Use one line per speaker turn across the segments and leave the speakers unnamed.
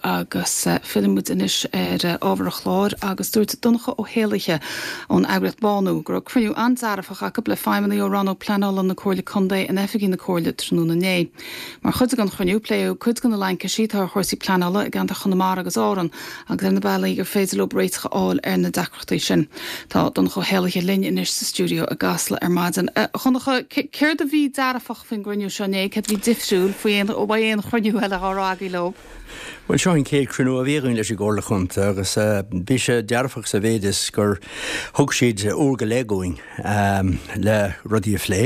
Agus filleann muid anois ar ábhar an chláir agus dúirt Donncha Ó hÉallaithe ón eagraíocht Bánú go raibh cruinniú an-dearfach acu le feidhmeannaigh ó Rannóg Pleanála na Comhairle Contae in oifigí na Comhairle tráthnóna inné. Mar chuid den chruinniú pléadh cuid de na laincisí atá ar chúrsaí pleanála i gceantar Chonamara agus Árann agus ar na bealaí gur féidir leo réiteach a fháil ar na deacrachtaí sin. Tá Donncha Ó hÉallaithe linn anois sa stiúideo i gCasla ar maidin. A Dhonncha, céard a bhí dearfach faoin gcruinniú seo inné, céard a bhí difriúil faoi aon ó aon chruinniú eile dhá raibh agaibh leo?
Bhuel, seo an chéad chruinniú a bhí againn leis an gComhairle Chontae agus bhí sé dearfach sa mhéid is gur thug siad uair go leith dhúinn le rudaí a phlé.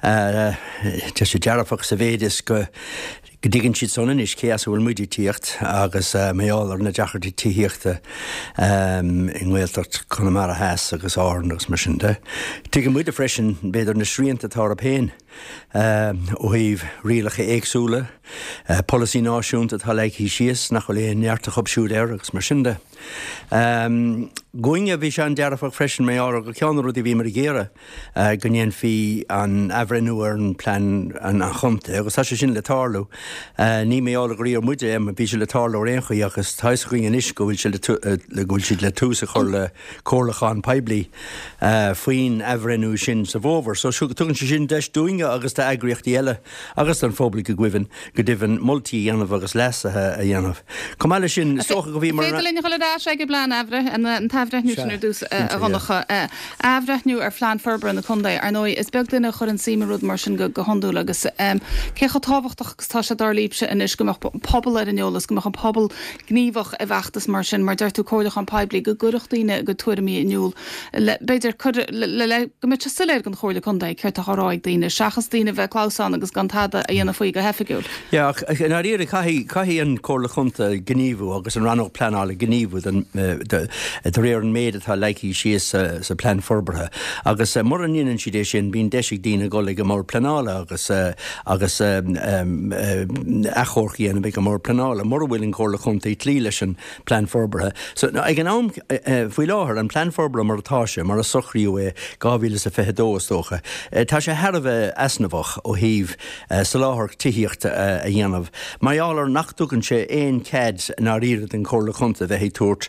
Tá sé dearfach sa mhéid is go go dtuigeann siad san anois cé as a bhfuil muid ag tíocht agus mar gheall ar na deacrachtaí tithíochta i nGaeltacht Chonamara Theas agus Árann agus mar sin de. Tuigeann muide freisin, b'fhéidir, na srianta atá orthu féin ó thaobh rialacha éagsúla, polasaí náisiúnta atá leagtha síos nach bhfuil aon neart acu siúd air agus mar sin de. Dhúinne, bhí sé an-dearfach freisin mar gheall ar gur ceann de na rudaí a bhíomar ag iarraidh, go ndéanfaí an athbhreithniú ar an plean an chontae agus tá sé sin le tarlú. Ní mar gheall gur iarr muid é, bhí sé le tarlú ar aon chaoi agus tá fhios againn anois go bhfuil sé le go bhfuil siad le tús a chur le comhairliúchán poiblí faoin athbhreithniú sin sa bhfómhar. So tugann sé sin deis dúinne agus d'eagraíochtaí eile agus don phobal go deimhin go deimhin moltaí a dhéanamh agus leasuithe a dhéanamh. Chomh maith leis sin, is dócha go bhíomar.
Féidir linn a dhul ar ais ag an bplean athbhreith, an t-athbhreithniú sin ar dtús, a Dhonncha. Athbhreithniú ar Phlean Forbartha na Contae. Ar ndóigh, is beag duine a chuireann suim i rud mar sin go hiondúil agus cé chomh tábhachtach agus atá sé dar libhse anois go mbeadh an pobal ar an eolas, go mbeadh an pobal gníomhach i bhfeachtas mar sin, mar deir tú, comhairliúchán poiblí, go gcuirfeadh daoine a gcuid tuairimí in iúl le, b'fhéidir, cur le, le, go mbeadh sé soiléir don Chomhairle Contae céard atá á rá ag daoine, seachas daoine a bheith ag clamhsán agus gan tada a dhéanamh faoi go hoifigiúil.
Yeah, ach i ndáiríre caithfidh, caithfidh an Chomhairle Chontae gníomhú agus an Rannóg Pleanála gníomhú don, de réir an méid atá leagtha síos sa, sa Plean Forbartha. Agus mura ndéanann siad é sin, bíonn deis ag daoine dul ag an mBord Pleanála agus, agus achomharc a dhéanamh ag an mBord Pleanála mura bhfuil an Chomhairle Chontae ag cloí leis an Plean Forbartha. So, ag an am, faoi láthair, an Plean Forbartha mar atá sé, mar a socraíodh é 2022 is dócha, tá sé thar a bheith easnamhach ó thaobh soláthar tithíochta a dhéanamh, mar gheall ar nach dtugann sé aon chead i ndáiríre don Chomhairle Chontae bheith ag tabhairt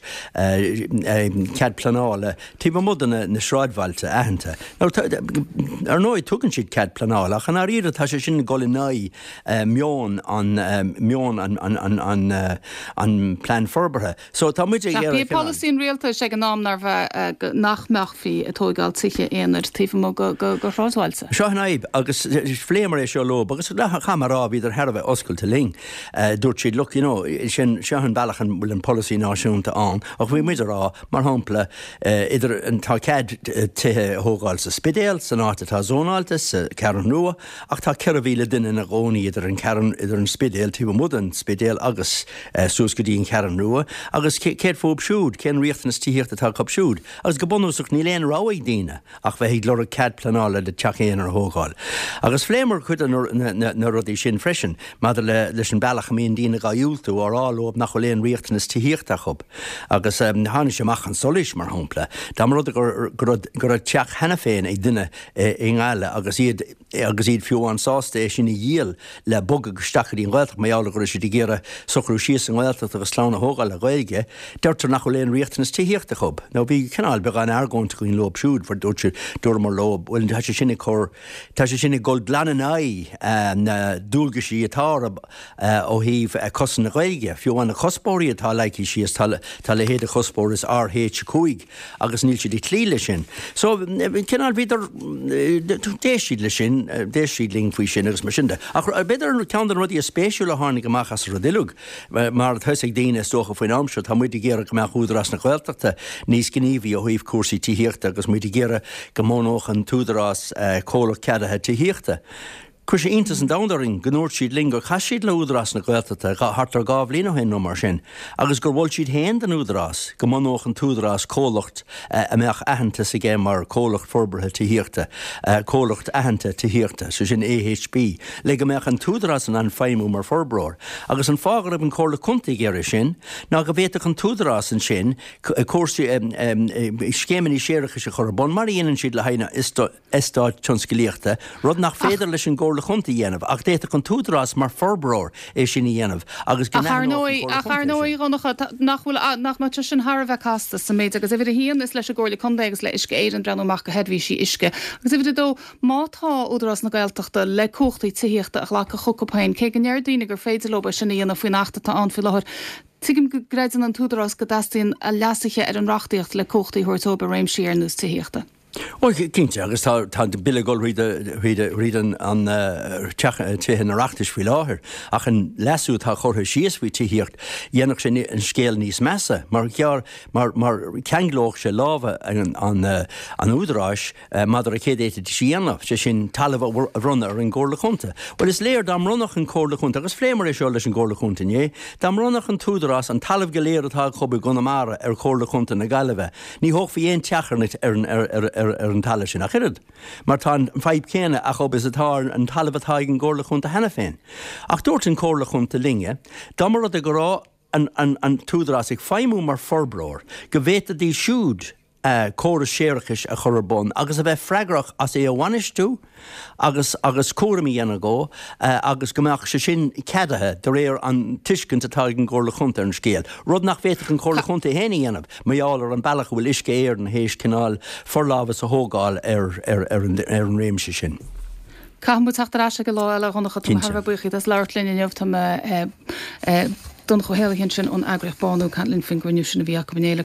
cead pleanála taobh amuigh de na sráidbhailte aitheanta. Now, ar ndóigh, tugann siad cead pleanála, ach i ndáiríre tá sé sin ag dul in aghaidh meon an meon an an an plean forbartha. So tá muid ag
iarraidh. Bhí polasaí an rialtais ag an am nárbh ea nach mbeifí ag tóigeáil tithe aonair taobh amuigh de shráidbhailte.
Seo an fhadhb agus phléamar é seo leo agus caithfidh mé a rá bhíodar thar a bheith oscailte linn. Dúirt siad look you know sin seo an bealach an bhfuil an polasaí náisiúnta ann ach bhí muid ag rá mar shampla idir tá cead tithe a thógáil sa Spidéal san áit atá zónáilte sa Cheathrú Rua Ach tá 4,000 duine ina gcónaí idir an Cheathrú, idir an Spidéal, taobh amuigh den Spidéal agus suas go dtí an Cheathrú Rua. Agus céard fúthu siúd? Cén riachtanas tithíochta atá acu siúd? Agus go bunúsach níl aon rogha ag daoine ach bheith ag lorg cead pleanála le teach aonair a thógáil. Agus phléamar cuid de na rudaí sin freisin maidir le leis an bealach a mbíonn daoine dhá dhiúltú, á rá leo nach bhfuil aon riachtanas tithíochta acu. Agus tháinig sé amach chun solais, mar shampla, dá mba rud é go raibh teach cheana féin ag duine i nGaillimh agus iad agus iad fiú amháin sásta é sin a dhíol le bogadh isteach go dtí an Ghaeltacht mar gheall go raibh siad ag iarraidh socrú síos sa nGaeltacht agus clann a thógáil le Gaeilge, deirtear nach bhfuil aon riachtanas tithíochta acu. Now bhí cineál beagán argóint againn leo siúd for dúirt siad, dúramar leo, bhuel tá sé sin ag cur, tá sé sin ag dul glan in aghaidh na dualgaisí atá orthu ó thaobh cosaint na Gaeilge. Fiú amháin na cuspóirí atá leagtha síos, tá tá a leithéid de chuspóir is RH5, agus níl siad ag cloí leis sin. So, cineál, bhíodar, d'éist siad leis sin, d'éist siad linn faoi sin agus mar sin de. Ach b'fhéidir ceann de na rudaí is spéisiúla a tháinig amach as an rud uilig, mar atá fhios ag daoine is dócha faoin am seo, tá muid ag iarraidh go mbeadh Údarás na Gaeltachta níos gníomhaí ó thaobh cúrsaí tithíochta agus muid ag iarraidh go mbunódh an tÚdarás comhlacht ceadaithe tithíochta. Chuir sé iontas an domhain orainn go ndúirt siad linn gur chas siad le Údarás na Gaeltachta thart ar 2 bhliain ó shin nó mar sin agus gur mhol siad féin don Údarás go mbunódh an tÚdarás comhlacht a mbeadh aitheantas aige mar Comhlacht Forbartha Tithíochta, Comhlacht Aitheanta Tithíochta, sé sin AHB, le go mbeadh an tÚdarás in ann feidhmiú mar forbróir. Agus an fáth go raibh an Comhairle Contae ag iarraidh sin ná go bhféadfadh an tÚdarás ansin cúrsaí, scéimeanna séarachais a chur ar bun mar a dhéanann siad le haghaidh na. eastáit tionsclaíochta, rud nach féidir leis an gComhairle. Chomhairle Chontae a dhéanamh ach d'fhéadfadh an tÚdarás mar forbróir é sin a dhéanamh agus go
Ach ar
n-aithneodh an
ndóigh,
Chomhairle
ach ar
Chontae é
ndóigh,
sin.
a Dhonncha, nach bhfuil, nach mbeadh sé sin thar a bheith casta sa méid agus uimhir a haon, is leis an gComhairle Contae agus le Uisce Éireann breathnú amach do sheirbhísí uisce. Agus uimhir a dó, má tá Údarás na Gaeltachta le cumhachtaí tithíochta a ghlacadh chucu féin, cé go ndeir daoine gur féidir leo é sin a dhéanamh faoin Acht atá ann faoi láthair, tuigim go gcreideann an tÚdarás go dteastaíonn leasuithe ar an reachtaíocht le cumhachtaí a thabhairt dóibh i réimsí ar nós tithíochta.
Bhuel, cinnte, agus tá tá an Bille ag dul thríd thríd thríd an an teach Tithe an Oireachtais faoi láthair, ach an leasú atá curtha síos faoi tithíocht, dhéanfadh sé an scéal níos measa, mar ghearr mar mar cheanglódh sé lámha an an an Údaráis maidir le céard a d'fhéadfaidís a dhéanamh, sé sin talamh a bhronnadh ar an gComhairle Chontae. Bhuel, is léir dá mbronnfadh an Comhairle Chontae, agus phléamar é seo leis an gComhairle Chontae inné, dá mbronnfadh an tÚdarás an talamh go léir atá acu i gConamara ar Chomhairle Chontae na Gaillimhe, Ní thógfaí aon teach ar an talamh sin ach oiread, mar tá an fadhb céanna acu is atá ar an talamh atá ag an gComhairle Chontae cheana féin. Ach dúirt an Comhairle Chontae linne, dá mba rud é go raibh an tÚdarás ag feidhmiú mar forbróir, go bhféadfaidís siúd córas séarachais a chur ar bun agus a bheith freagrach as é a bhainistiú, agus agus cúram a dhéanamh dhó agus go mbeadh sé sin ceadaithe de réir an tuiscint atá ag an gComhairle Chontae ar an scéal, rud nach bhféadfadh an Chomhairle Chontae féin a dhéanamh mar gheall ar an bealach a bhfuil Uisce Éireann théis cineál forlámhas a thógáil ar ar ar an ar an réimse sin.
Caithfidh muid teacht ar ais aige lá eile, a Dhonncha. Tá mé thar a bheith buíoch díot as labhairt linn inniu. Tá mé Donncha Ó hÉallaithe ansin ón eagraíocht Bánú ag caint linn faoin gcruinniú sin a bhí acu inné le.